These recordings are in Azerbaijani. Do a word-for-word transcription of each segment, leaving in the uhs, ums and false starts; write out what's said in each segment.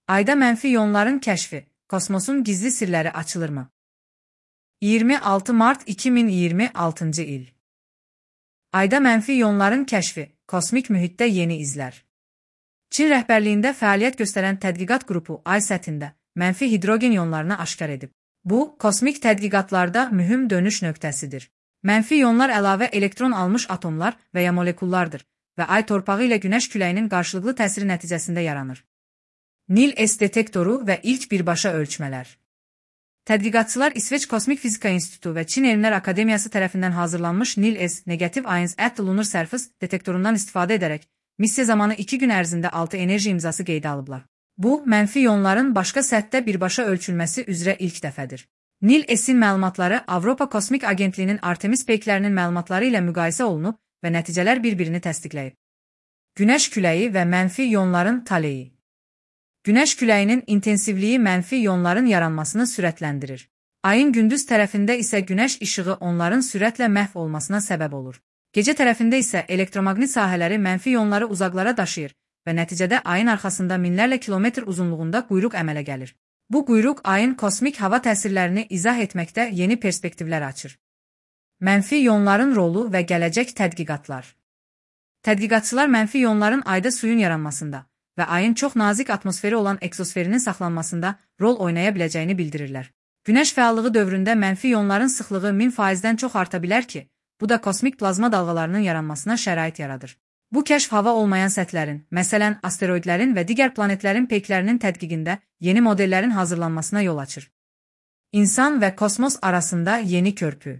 Ayda mənfi iyonların kəşfi, kosmosun gizli sirləri açılırmı? iyirmi altı mart iki min iyirmi altıncı il. Ayda mənfi iyonların kəşfi, kosmik mühitdə yeni izlər. Çin rəhbərliyində fəaliyyət göstərən tədqiqat qrupu ay səthində mənfi hidrogen iyonlarını aşkar edib. Bu, kosmik tədqiqatlarda mühüm dönüş nöqtəsidir. Mənfi iyonlar əlavə elektron almış atomlar və ya molekullardır və ay torpağı ilə günəş küləyinin qarşılıqlı təsiri nəticəsində yaranır. Nil-S detektoru və ilk birbaşa ölçmələr. Tədqiqatçılar İsveç Kosmik Fizika İnstitutu və Çin Elmlər Akademiyası tərəfindən hazırlanmış Nil-S Negative Ions at the Lunar Surface detektorundan istifadə edərək missiya zamanı iki gün ərzində altı enerji imzası qeydə alıblar. Bu, mənfi iyonların başqa səthdə birbaşa ölçülməsi üzrə ilk dəfədir. Nil-S-in məlumatları Avropa Kosmik Agentliyinin Artemis peyklərinin məlumatları ilə müqayisə olunub və nəticələr bir-birini təsdiqləyib. Günəş küləyi və mənfi iyonların taleyi. Günəş küləyinin intensivliyi mənfi iyonların yaranmasını sürətləndirir. Ayın gündüz tərəfində isə günəş işığı onların sürətlə məhv olmasına səbəb olur. Gecə tərəfində isə elektromaqnit sahələri mənfi iyonları uzaqlara daşıyır və nəticədə ayın arxasında minlərlə kilometr uzunluğunda quyruq əmələ gəlir. Bu quyruq ayın kosmik hava təsirlərini izah etməkdə yeni perspektivlər açır. Mənfi iyonların rolu və gələcək tədqiqatlar. Tədqiqatçılar mənfi iyonların ayda suyun yaranmasında və ayın çox nazik atmosferi olan eksosferinin saxlanmasında rol oynaya biləcəyini bildirirlər. Günəş fəallığı dövründə mənfi iyonların sıxlığı min faizdən çox arta bilər ki, bu da kosmik plazma dalğalarının yaranmasına şərait yaradır. Bu kəşf hava olmayan səthlərin, məsələn, asteroidlərin və digər planetlərin peyklərinin tədqiqində yeni modellərin hazırlanmasına yol açır. İnsan və kosmos arasında yeni körpü.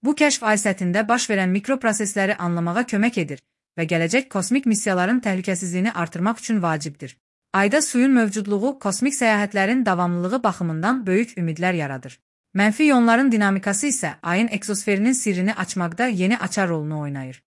Bu kəşf ay səthində baş verən mikroprosesləri anlamağa kömək edir və gələcək kosmik missiyaların təhlükəsizliyini artırmaq üçün vacibdir. Ayda suyun mövcudluğu kosmik səyahətlərin davamlılığı baxımından böyük ümidlər yaradır. Mənfi iyonların dinamikası isə ayın eksosferinin sirrini açmaqda yeni açar rolunu oynayır.